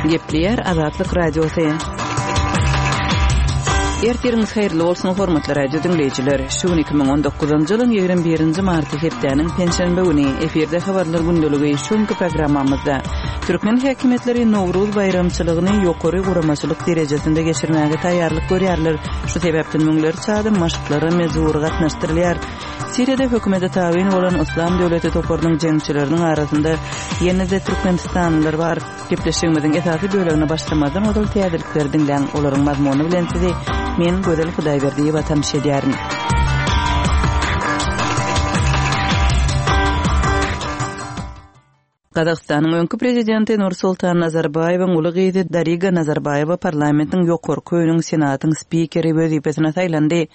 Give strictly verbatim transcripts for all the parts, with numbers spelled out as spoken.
Gepleýär Azatlyk Radiosy. Ertiriňiz haýyrly bolsun, hormatly radio diňleýjiler. Şu gün iki müň on dokuzynjy ýylyň ýigrimi birinji marty hepdäniň penşenbe güni efirde habarlar gündeligi şu günki programmamyzda türkmen häkimiýetleri Nowruz baýramçylygyny ýokary guramaçylyk derejesinde geçirmäge taýýarlyk görýärler. Şu sebäpden müňlerçe adam maşklara mejbury gatnaşdyrylýar. Siriýada hökümete tabyn bolan Yslam döwleti toparynyň jeňçileriniň arasynda ýene-de türkmenistanlylar bar. Gepleşigimiziň esasy bölegine başlamazdan ozal täzelikleri diňläň. Olaryň mazmuny bilen sizi men Gözel Hudaýberdiýewa tanyş edýärin. Gazagystanyň öňki prezidenti Nursultan Nazarbaýewiň uly gyzy Dariga Nazarbaýewa parlamentiň ýokarky öýüniň senatyň spikeri wezipesine saýlandy.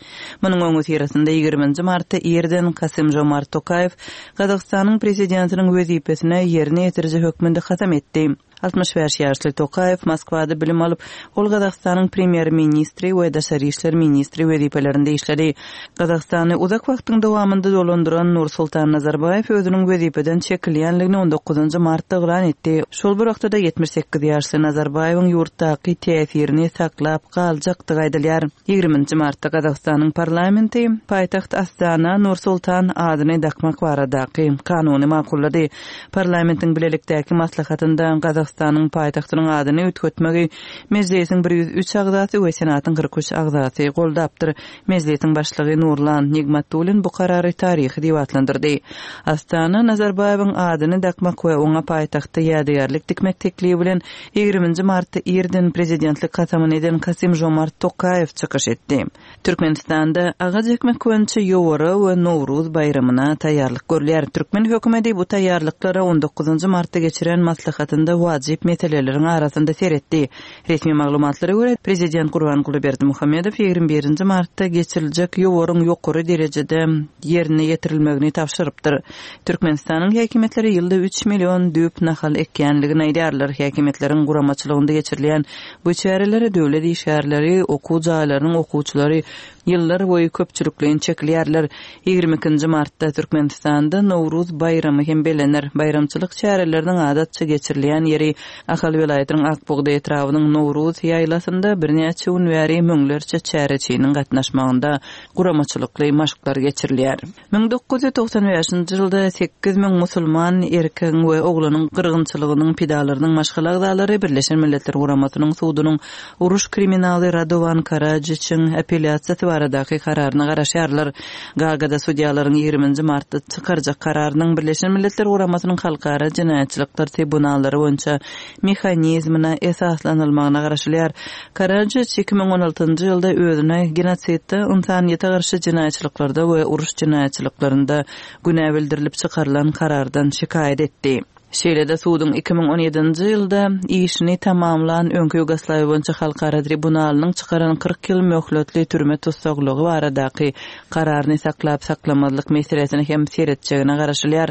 Munuň öňüsyrasynda ýigriminji martda irden Kasym-Žomart Tokaýew Gazagystanyň prezidentiniň wezipesine ýerine ýetiriji hökmünde kasam etdi. Altmyş bäş ýaşly Tokaýew Moskwada bilim alyp, ol Gazagystanyň premýer-ministri we daşary işler ministri wezipelerinde işledi. Gazagystany uzak wagtyň dowamynda dolandyran Nursultan Nazarbaýew özüniň wezipeden çekilýänligini on dokuzynjy martda yglan etdi. Şol bir wagtda ýetmiş sekiz ýaşly Nazarbaýewiň ýurtdaky täsirini saklap galjakdygy aýdylýar. Ýigriminji martda Gazagystanyň parlamenti paýtagt Astana Nursultan adyny dakmak baradaky kanuny makullady. Parlamentiň bilelikdäki maslahatynda Gazagystanyň paýtagtynyň adyny üýtgetmegi Mejlisiň bir ýüz üç agzasy we Senatyň kyrk üç agzasy goldapdyr. Mejlisiň başlygy Nurlan Nigmatulin bu karary taryhy diýip atlandyrdy. Astana Nazarbaýewiň adyny dakmak we oňa paýtagtda ýadygärlik dikmek teklibi bilen ýigriminji martda irden prezidentlik kasamyny eden Kasym-Žomart Tokaýew çykyş etdi. Türkmenistanda agaç ekmek boýunça ýowara we Nowruz baýramyna taýýarlyk görülýär. Türkmen hökümeti bu taýýarlyklara on dokuzynjy martda geçiren maslahatynda wajyp meseleleriň arasynda seretdi. Resmi maglumatlara görä, prezident Gurbanguly Berdimuhamedow ýigrimi birinji martda geçiriljek ýowaryň ýokary derejede ýerine ýetirilmegini tabşyrypdyr. Türkmenistanyň häkimiýetleri ýylda üç million düýp nahal ekýänligini aýdýarlar. Häkimiýetleriň guramaçylygynda geçirilýän bu çärelere döwlet işgärleri, okuw jaýlarynyň okuwçylary ýyllar boýy köpçülikleýin çekilýärler. Ýigrimi ikinji martda Türkmenistanda Nowruz baýramy hem bellenir. Baýramçylyk çäreleriniň adatça geçirilýän ýeri Ahal welaýatynyň Akbugda etrabynyň Nowruz ýaýlasynda birnäçe gün bäri müňlerçe çäreçiniň gatnaşmagynda guramaçylykly maşklar geçirilýär. Müň dokuz ýüz togsan bäşinji ýylda sekiz müň musulman erkegiň we oglanyň gyrgynçylygynyň pidalarynyň maşgala agzalary Birleşen Milletler Guramasynyň sudunyň uruş kriminaly Radowan Karadziçiň apellýasiýasy baradaky kararyna garaşýarlar. Gagada sudýalaryň ýigriminji martda çykarjak kararynyň Birleşen Milletler Guramasynyň halkara jenaýatçylyklar tribunallary boýunça mehanizmine esaslanylmagyna garaşylýar. Karadziç iki müň on altynjy ýylda özüne genosidde, insaniýete garşy jenaýatçylyklarda we uruş jenaýatçylyklarynda günä bildirilip çykarylan karardan şikaýat etdi. Şeýle-de suduň iki müň on ýedinji ýylda işini tamamlan öňki Ýugoslawiýa boýunça halkara tribunalynyň çykaran kyrk ýyl möhletli türme tussaglygy baradaky kararyny saklap saklamazlyk meselesini hem seretjegine garaşylýar.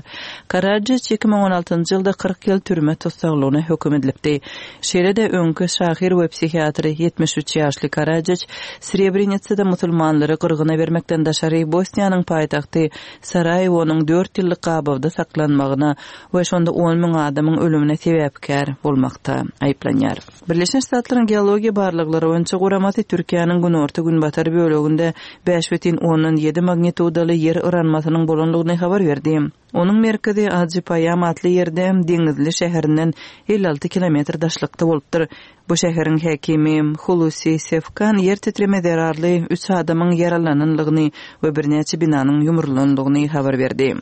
Karadziç iki müň on altynjy ýylda kyrk ýyl türme tussaglygyna höküm edilipdi. Şeýle-de öňki şahyr we psihiatr ýetmiş üç ýaşly Karadziç Srebrenitsada musulmanlary gyrgyna bermekden daşary Bosniýanyň paýtagty Saraýewonyň dört ýyllyk gabawda saklanmagyna we şonda on müň adamyň ölümine sebäpkär bolmakda aýyplanýar. Birleşen Ştatlaryň geologiýa barlaglary boýunça guramasy Türkiýäniň günorta-günbatar böleginde bäş bütin ondan ýedi magnitudaly ýer yranmasynyň bolanlygyny habar berdi. Onuň merkezi Ajypaýam atly ýerde Deňizli şäherinden elli alty kilometr daşlykda bolupdyr. Bu şäheriň häkimi Hulusi Sefkan ýer titreme zerarly üç adamyň ýaralananlygyny we birnäçe binanyň ýumrulanlygyny habar berdi.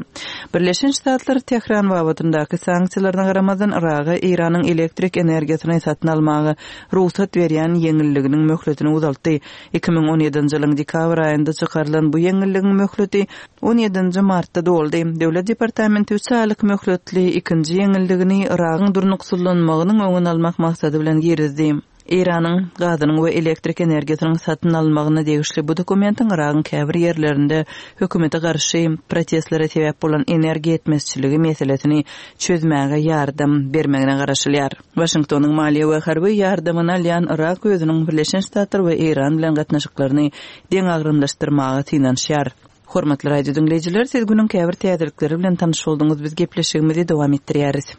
Birleşen Ştatlar Tehran babatyndaky sanksiýalaryna garamazdan Iraga Eýranyň elektrik energiýasyny satyn almaga rugsat berýän ýeňilliginiň möhletini uzaltdy. Iki müň on ýedinji ýylyň dekabr aýynda çykarylan bu ýeňilligiň möhleti on ýedinji martda doldy. Döwlet departamenti üç aýlyk möhletli ikinji ýeňilligini Iragyň durnuksyzlanmagynyň öňüni almak maksady bilen girizdi. Eýranyň gazynyň we elektrik energiýasynyň satyn almagyna degişli bu dokumentiň Iragyň käbir ýerlerinde hökümete garşy protestlere sebäp bolan energiýa ýetmezçiligi meselesini çözmäge ýardam bermegine garaşylýar. Waşingtonyň maliýe we harby ýardamyny alýan Irak özüniň Birleşen Ştatlar we Eýran bilen gatnaşyklaryny deňagramlaşdyrmaga synanyşýar. Hormatly radio diňleýjiler, siz günüň käbir täzelikleri bilen tanyş bolduňyz. Biz gepleşigimizi dowam etdirýäris.